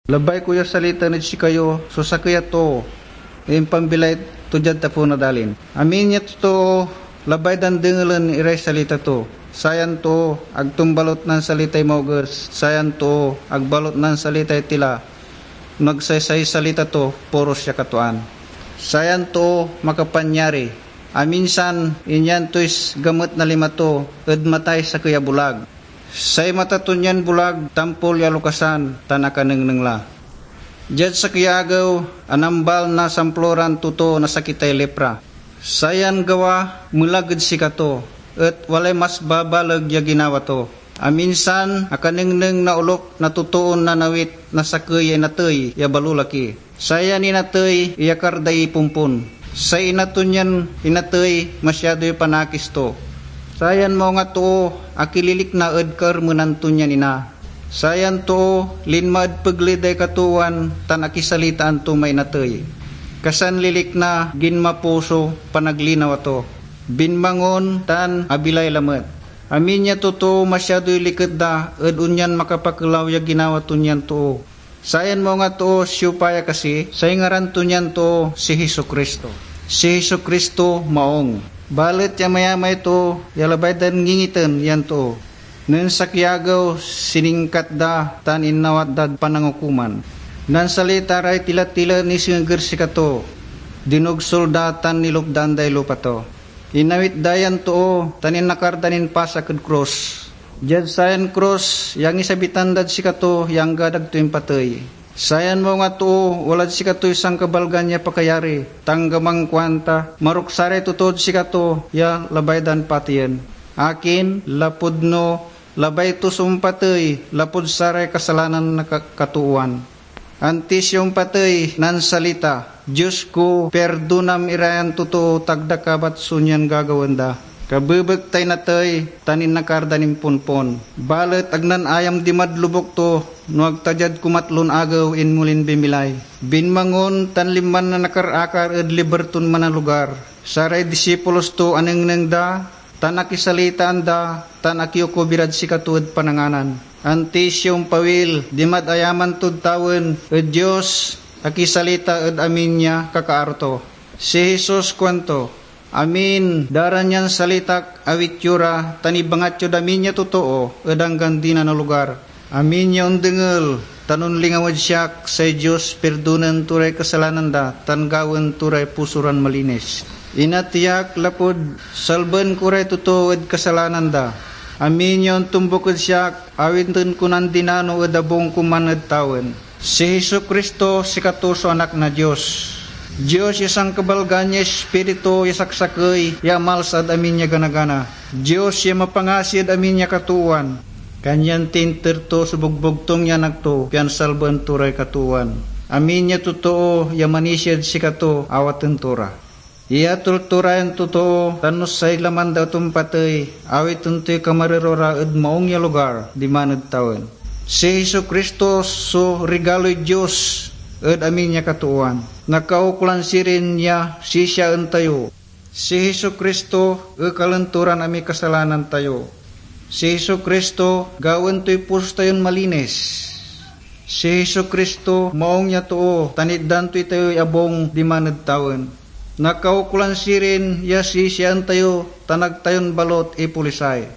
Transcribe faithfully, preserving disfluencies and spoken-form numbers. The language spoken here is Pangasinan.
Labay ko ya salitaan ed sikayo so sakey a too ya impambilay to diad tapew na dalin. Amin ya totoo, labay dan dengelen iray salita to. Sayan too, ag ton balut nansalitay maoges. Sayan too, ag balut nansalitay tila. No ag say, say salita to, puro siak a tuan. Sayan too makapanyari. Aminsan, inyan toy s-, gamet na lima to ed matay sakey a bulag. Say mata ton yan bulag tampol ya alokasan tan akanengneng la. Diad sakey ya agew, anambal na samploran totoo na sakitay lepra. Sayan gawa melag ed sikato, et walay mas babaleg ya ginawa to. Aminsan, akanengneng na olok na totoon nanawit na sakey ya inatey ya balolaki. Sayan inatey iyakar day ipompon. Say ina ton yan inatey masiadoy panakis to. Sayan maung a too akililikna ed kaermenan ton yan ina. Sayan too linma ed pegley day katoowan tan akisalitaan to may inatey. Kasanlilikna, ginmapo so panaglinawa to. Binmangon tan abilay lamet. Amin ya totoo masiadoy liket da ed onyan makapakelaw ya ginawa ton yan too. Sayan maung a too siopa ya kasi? Say ngaran ton yan too si Jesu-Cristo. Si Jesu-Cristo maung. Balet ya amayamay too ya labay dan ngingiten yan too. Nen sakey ya agew, siningkat da tan innawat dad panangukoman. Nansalita ray tila-tila nisengeg ed sikato. Dinugsol da tan nilukdan day lupa to. Inawit da yan too tan inakar da nin pasak ed krus. Diad sayan krus ya angisabitan dad sikato ya anggad ag to impatey. Sayan maung a too walad sikatoy sankabalgan ya pakayari, ta anggaman kuanta, "Marok saray totod sikato ya labay dan pateyen." Akin? Lapud no labay to so ompatey lapud saray kasalanan na ka-, katoowan. Antis ya ompatey, nansalita, "Dios ko, pirdonam irayan totoo, ta ag da kabat so nian gagawaen da." Kabebek tay natey tan inakar da nin ponpon. Balet ag nanayam dimad lobuk to, no ag ta diad kumatlon agew inmolin bimilay. Binmangon tan linman nanakar-akar ed liber ton manalugar. Saray disipulos to anengneng da, tan akisalitaan da, tan akiyokob irad sikato ed pananganan. Antis ya ompawil dimad ayaman tod tawen ed Dios, akisalita ed amin ya kakaaro to. Si Jesus kuanto, "Amin da ra nian salitak, awit yo ra, tan ibangat yod amin ya totoo ed anggan dinan a lugar." Amin ya ondengel tan onlingaw ed siak, say Dios pirdonen to ray kasalanan da tan gawaen to ray puso ran malinis. Inatey ak lapud salben ko ray totoo ed kasalanan da. Amin ya ontombuk ed siak, awiten ko nandinano ed abung ko man ed tawen. Si Jesu-Cristo, sikato so Anak na Dios. Dios ya sankabalgan ya Ispiritu ya saksakey ya amalsa ed amin ya gana-gana. Dios ya mapangasi ed amin ya katoowan. Kanyan tinter to so bogbogtung ya Anak to, pian salbaen to ray katoowan. Amin ya totoo ya manisia ed sikato, awaten to ra. Iyatol to ra yan totoo, tan no say laman da et ompatey, awiten toy kamarero ra ed maung ya lugar diman ed tawen. Si Jesu-Cristo so rigaloy Dios ed amin ya katoowan. Nakaukolan sirin ya sisiaen tayo. Si Jesu-Cristo ekalen to ran amiy kasalanan tayo. Si Jesu-Cristo gawaen toy puso tayon malinis. Si Jesu-Cristo maung ya too, tan itdan to itayoy abung diman ed tawen. Nakaukolan sirin ya sisiaen tayo, tan ag tayon balut ipolisay.